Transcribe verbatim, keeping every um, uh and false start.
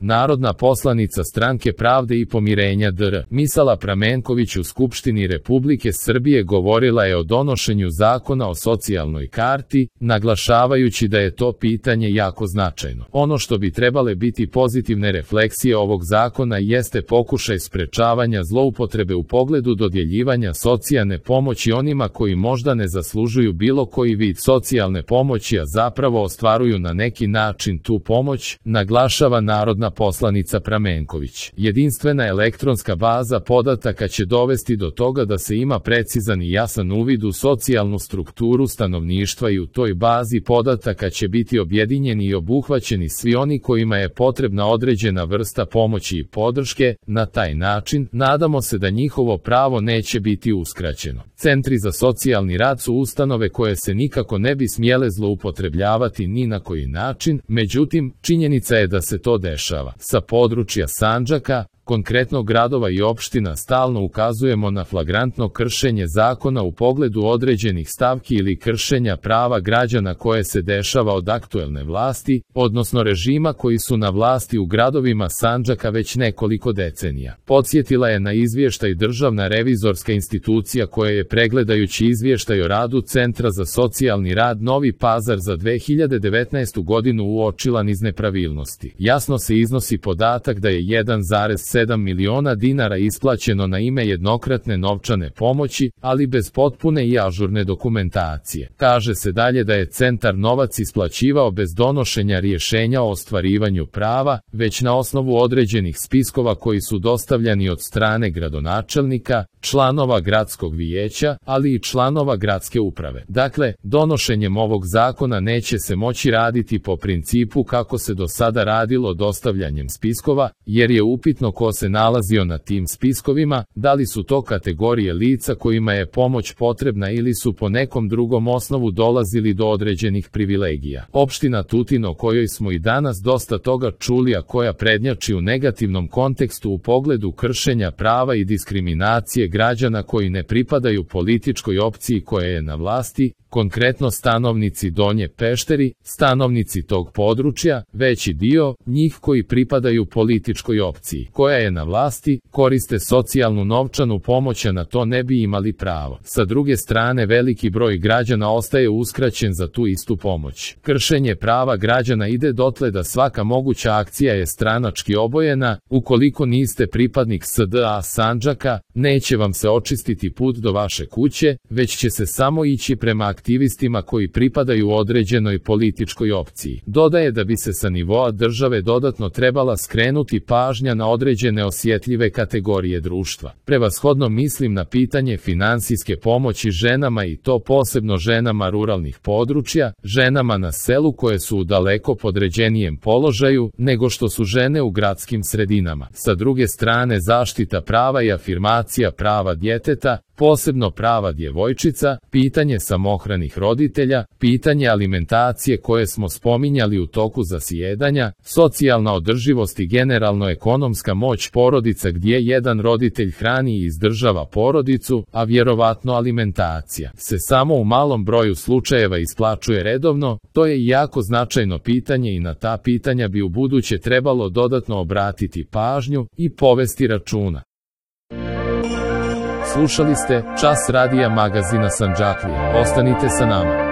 narodna poslanica Stranke pravde i pomirenja D R Misala Pramenković u Skupštini Republike Srbije govorila je o donošenju zakona o socijalnoj karti, naglašavajući da je to pitanje jako značajno. Ono što bi trebale biti pozitivne refleksije ovog zakona jeste pokušaj sprečavanja zloupotrebe u pogledu dodjeljivanja socijalne pomoći onima koji možda ne zaslužuju bilo koji vid socijalne pomoći, a zapravo ostvaruju na neki način tu pomoć, naglašava narodna poslanica Pramenković. Jedinstvena elektronska baza podataka će dovesti do toga da se ima precizan i jasan uvid u socijalnu strukturu stanovništva i u toj bazi podataka će biti objedinjeni i obuhvaćeni svi oni kojima je potrebna određena vrsta pomoći i podrške. Na taj način, nadamo se da njihovo pravo neće biti uskraćeno. Centri za socijalni rad su ustanove koje se nikako ne bi smjele zloupotrebljavati ni na koji način, međutim, činjenica je da se to dešava. Sa područja Sandžaka, konkretno gradova i opština, stalno ukazujemo na flagrantno kršenje zakona u pogledu određenih stavki ili kršenja prava građana koje se dešava od aktuelne vlasti, odnosno režima koji su na vlasti u gradovima Sandžaka već nekoliko decenija. Podsjetila je na izvještaj Državna revizorska institucija koja je pregledajući izvještaj o radu Centra za socijalni rad Novi Pazar za dve hiljade devetnaestu godinu uočila niz nepravilnosti. Jasno se iznosi podatak da je jedan zarez sedam miliona dinara isplaćeno na ime jednokratne novčane pomoći, ali bez potpune i ažurne dokumentacije. Kaže se dalje da je centar novac isplaćivao bez donošenja rješenja o ostvarivanju prava, već na osnovu određenih spiskova koji su dostavljani od strane gradonačelnika, članova gradskog vijeća, ali i članova gradske uprave. Dakle, donošenjem ovog zakona neće se moći raditi po principu kako se do sada radilo dostavljanjem spiskova, jer je upitno ko se nalazio na tim spiskovima, da li su to kategorije lica kojima je pomoć potrebna ili su po nekom drugom osnovu dolazili do određenih privilegija. Opština Tutin, o kojoj smo i danas dosta toga čuli, a koja prednjači u negativnom kontekstu u pogledu kršenja prava i diskriminacije građana koji ne pripadaju političkoj opciji koja je na vlasti, konkretno stanovnici Donje Pešteri, stanovnici tog područja, veći dio njih koji pripadaju političkoj opciji koja je na vlasti, koriste socijalnu novčanu pomoć, a na to ne bi imali pravo. Sa druge strane, veliki broj građana ostaje uskraćen za tu istu pomoć. Kršenje prava građana ide dotle da svaka moguća akcija je stranački obojena. Ukoliko niste pripadnik S D A Sandžaka, neće vam se očistiti put do vaše kuće, već će se samo ići prema aktivistima koji pripadaju određenoj političkoj opciji. Dodaje da bi se sa nivoa države dodatno trebala skrenuti pažnja na određene osjetljive kategorije društva. Prevashodno mislim na pitanje finansijske pomoći ženama, i to posebno ženama ruralnih područja, ženama na selu koje su u daleko podređenijem položaju nego što su žene u gradskim sredinama. Sa druge strane, zaštita prava i afirmacija prava djeteta, posebno prava djevojčica, pitanje samohranih roditelja, pitanje alimentacije koje smo spominjali u toku zasjedanja, socijalna održivost i generalno ekonomska moć porodica gdje jedan roditelj hrani i izdržava porodicu, a vjerovatno alimentacija se samo u malom broju slučajeva isplaćuje redovno. To je jako značajno pitanje i na ta pitanja bi ubuduće trebalo dodatno obratiti pažnju i povesti računa. Slušali ste Čas radija magazina Sandžaklija. Ostanite sa nama.